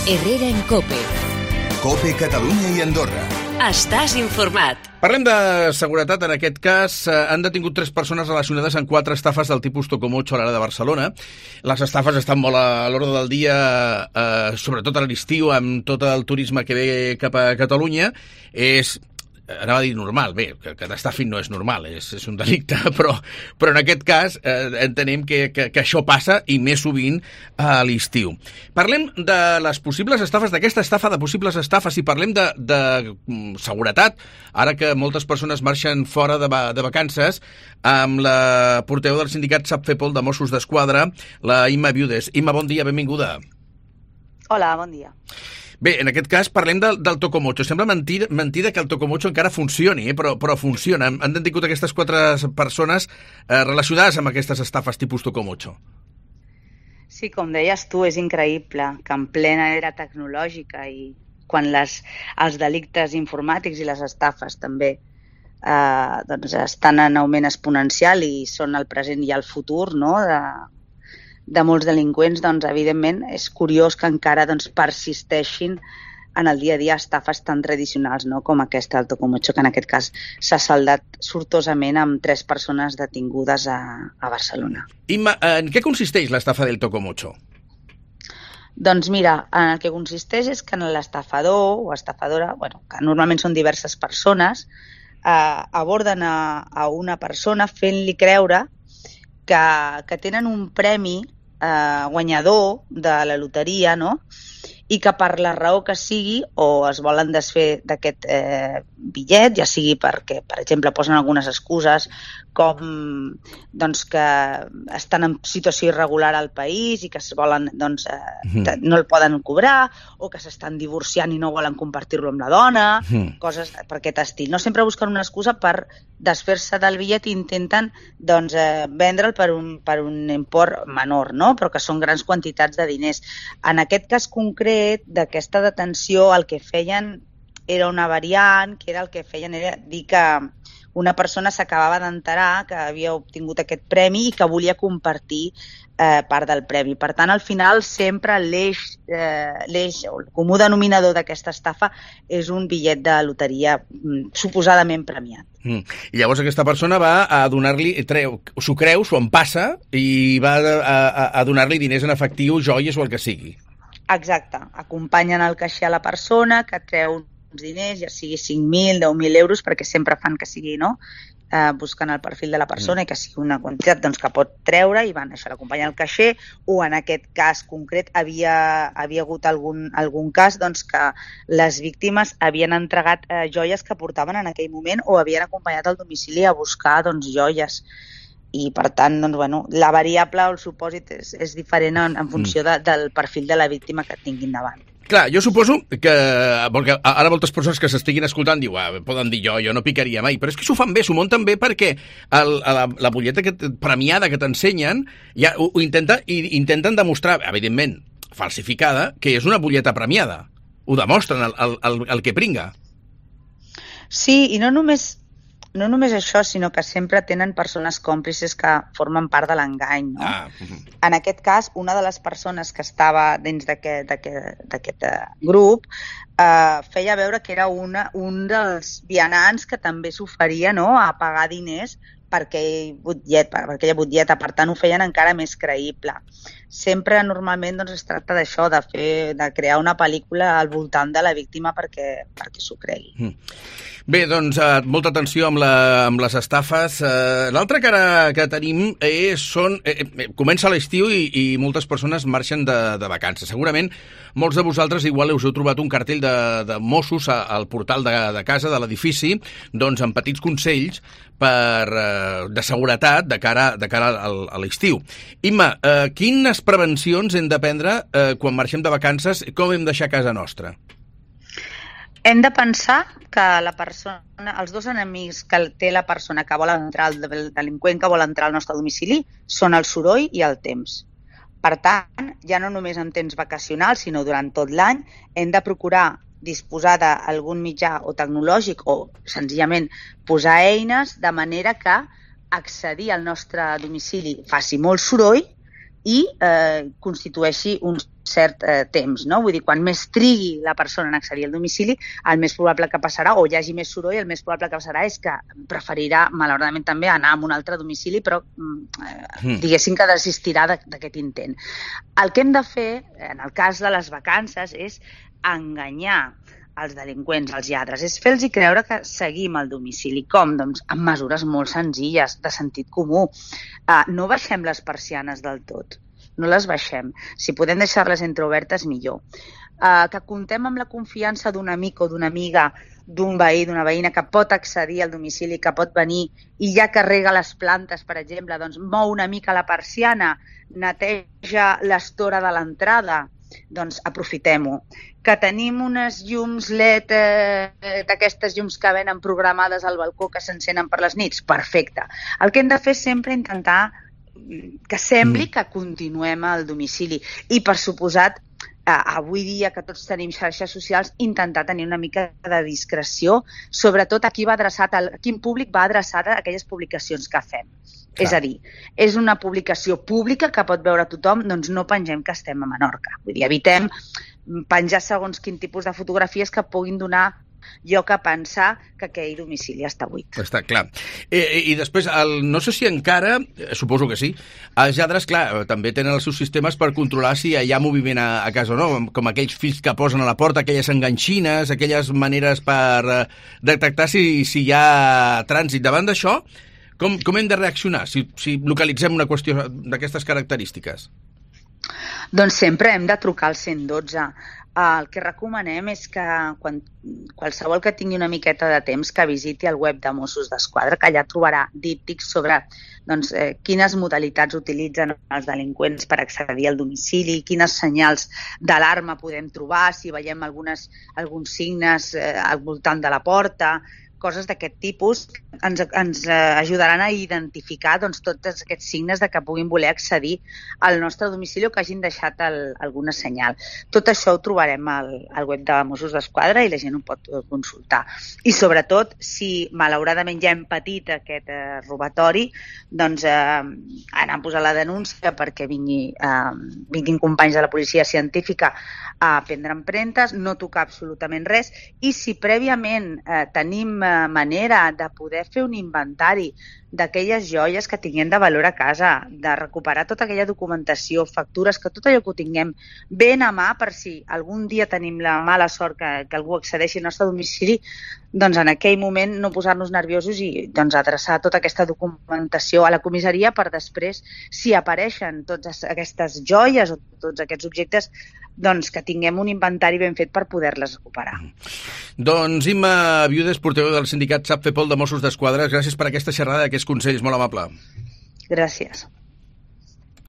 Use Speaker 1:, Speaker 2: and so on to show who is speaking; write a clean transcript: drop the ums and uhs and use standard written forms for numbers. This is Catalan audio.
Speaker 1: Herrera en COPE.
Speaker 2: COPE Catalunya i Andorra.
Speaker 1: Estàs informat.
Speaker 3: Parlem de seguretat. En aquest cas han detingut 3 persones relacionades amb 4 estafes del tipus Tocomocho a l'àrea de Barcelona. Les estafes estan molt a l'ordre del dia, sobretot a l'estiu, amb tot el turisme que ve cap a Catalunya. Anava a dir normal, bé, que t'estafin no és normal, és un delicte, però en aquest cas entenem que això passa i més sovint a l'estiu. Parlem de les possibles estafes, d'aquesta estafa, de possibles estafes, i parlem de seguretat, ara que moltes persones marxen fora de vacances, amb la portaveu del sindicat SAPFEPOL de Mossos d'Esquadra, la Imma Viudes. Imma, bon dia, benvinguda.
Speaker 4: Hola, bon dia.
Speaker 3: Bé, en aquest cas parlem del Tocomocho. Sembla mentida que el Tocomocho encara funcioni, però funciona. Han detingut aquestes 4 persones relacionades amb aquestes estafes tipus Tocomocho.
Speaker 4: Sí, com deies tu, és increïble que en plena era tecnològica i quan els delictes informàtics i les estafes també estan en augment exponencial i són el present i el futur, no?, de molts delinqüents, doncs, evidentment, és curiós que encara persisteixin en el dia a dia estafes tan tradicionals, no?, com aquesta del Tocomocho, que en aquest cas s'ha saldat sortosament amb 3 persones detingudes a Barcelona.
Speaker 3: Imma, en què consisteix l'estafa del Tocomocho?
Speaker 4: Doncs mira, en el que consisteix és que l'estafador o estafadora, que normalment són diverses persones, aborden a una persona fent-li creure que tenen un premi guanyador de la loteria, no?, i que per la raó que sigui o es volen desfer d'aquest bitllet, ja sigui perquè, per exemple, posen algunes excuses com que estan en situació irregular al país i que es volen, no el poden cobrar, o que s'estan divorciant i no volen compartir-lo amb la dona, coses per aquest estil. No sempre busquen una excusa per desfer-se del bitllet i intenten vendre'l per un import menor, no?, però que són grans quantitats de diners. En aquest cas concret d'aquesta detenció, el que feien era una variant, que era el que feien era dir que una persona s'acabava d'enterar que havia obtingut aquest premi i que volia compartir part del premi. Per tant, al final, sempre l'eix o el comú denominador d'aquesta estafa és un bitllet de loteria suposadament premiat.
Speaker 3: I llavors aquesta persona va a donar-li, s'ho creu, s'ho empassa i va a donar-li diners en efectiu, joies o el que sigui.
Speaker 4: Exacte. Acompanyen el caixer a la persona que treu uns diners, ja sigui 5.000, 10.000 euros, perquè sempre fan que sigui, no?, buscant el perfil de la persona i que sigui una quantitat que pot treure i van, això, l'acompanyen al caixer, o en aquest cas concret havia hagut algun cas que les víctimes havien entregat joies que portaven en aquell moment o havien acompanyat al domicili a buscar joies. I, per tant, la variable o el supòsit és diferent en funció del perfil de la víctima que tinguin davant.
Speaker 3: Clar, jo suposo que ara moltes persones que s'estiguin escoltant poden dir jo no picaria mai, però és que s'ho fan bé, s'ho munten bé perquè la butlleta premiada que t'ensenyen ja ho intenten demostrar, evidentment falsificada, que és una butlleta premiada. Ho demostren el que pringa.
Speaker 4: Sí, i no només això, sinó que sempre tenen persones còmplices que formen part de l'engany, no? En aquest cas, una de les persones que estava dins d'aquest grup feia veure que era un dels vianants que també s'oferia, no?, a pagar diners per aquella butlleta. Per tant, ho feien encara més creïble. Sempre, normalment, es tracta d'això, de crear una pel·lícula al voltant de la víctima perquè s'ho cregui.
Speaker 3: Bé, doncs, molta atenció amb les estafes. L'altra cara que tenim comença l'estiu i moltes persones marxen de vacances. Segurament molts de vosaltres igual us heu trobat un cartell de Mossos al portal de casa, de l'edifici, amb petits consells de seguretat de cara a l'estiu. Imma, quines prevencions hem de prendre quan marxem de vacances? Com hem de deixar casa nostra?
Speaker 4: Hem de pensar que els 2 enemics que té la persona que vol entrar, el delinqüent que vol entrar al nostre domicili, són el soroll i el temps. Per tant, ja no només en temps vacacionals, sinó durant tot l'any, hem de procurar disposar d'algun mitjà o tecnològic o senzillament posar eines de manera que accedir al nostre domicili faci molt soroll, i constitueixi un cert temps, no? Vull dir, quan més trigui la persona en accedir al domicili, el més probable que passarà, o hi hagi més soroll, el més probable que passarà és que preferirà, malauradament també, anar a un altre domicili, però diguéssim que desistirà d'aquest intent. El que hem de fer, en el cas de les vacances, és enganyar els delinqüents, els lladres, és fer-los creure que seguim al domicili. Com? Doncs amb mesures molt senzilles, de sentit comú. No baixem les persianes del tot, no les baixem. Si podem deixar-les entreobertes, millor. Que comptem amb la confiança d'un amic o d'una amiga, d'un veí, d'una veïna que pot accedir al domicili, que pot venir i ja que rega les plantes, per exemple, doncs mou una mica la persiana, neteja l'estora de l'entrada, doncs aprofitem-ho. Que tenim unes llums LED, d'aquestes llums que venen programades al balcó que s'encenen per les nits, perfecte. El que hem de fer és sempre intentar que sembli que continuem al domicili i, per suposat, avui dia que tots tenim xarxes socials, intentar tenir una mica de discreció, sobretot a quin públic va adreçat a aquelles publicacions que fem. Clar. És a dir, és una publicació pública que pot veure tothom, doncs no pengem que estem a Menorca. Vull dir, evitem penjar segons quin tipus de fotografies que puguin donar lloc a pensar que aquell domicili està buit.
Speaker 3: Està clar. I després, no sé si encara, suposo que sí, els lladres, clar, també tenen els seus sistemes per controlar si hi ha moviment a casa o no, com aquells fills que posen a la porta, aquelles enganxines, aquelles maneres per detectar si hi ha trànsit. Davant d'això, com hem de reaccionar si localitzem una qüestió d'aquestes característiques?
Speaker 4: Doncs sempre hem de trucar al 112. El que recomanem és que qualsevol que tingui una miqueta de temps que visiti el web de Mossos d'Esquadra, que allà trobarà díptics sobre quines modalitats utilitzen els delinqüents per accedir al domicili, quines senyals d'alarma podem trobar, si veiem alguns signes al voltant de la porta, coses d'aquest tipus ens ajudaran a identificar tots aquests signes de que puguin voler accedir al nostre domicili o que hagin deixat alguna senyal. Tot això ho trobarem al web de Mossos d'Esquadra i la gent ho pot consultar. I sobretot, si malauradament ja hem patit aquest robatori, doncs anar a posar la denúncia perquè vinguin companys de la policia científica a prendre empremtes, no tocar absolutament res, i si prèviament tenim manera de poder fer un inventari d'aquelles joies que tinguem de valor a casa, de recuperar tota aquella documentació, factures, que tot allò que ho tinguem ben a mà per si algun dia tenim la mala sort que algú accedeixi al nostre domicili, doncs en aquell moment no posar-nos nerviosos i doncs adreçar tota aquesta documentació a la comissaria per després, si apareixen totes aquestes joies o tots aquests objectes, doncs que tinguem un inventari ben fet per poder-les recuperar.
Speaker 3: Doncs Imma Viudes, portaveu del sindicat SAPFEPOL de Mossos d'Esquadra, gràcies per aquesta xerrada, aquests consells, molt amable.
Speaker 4: Gràcies.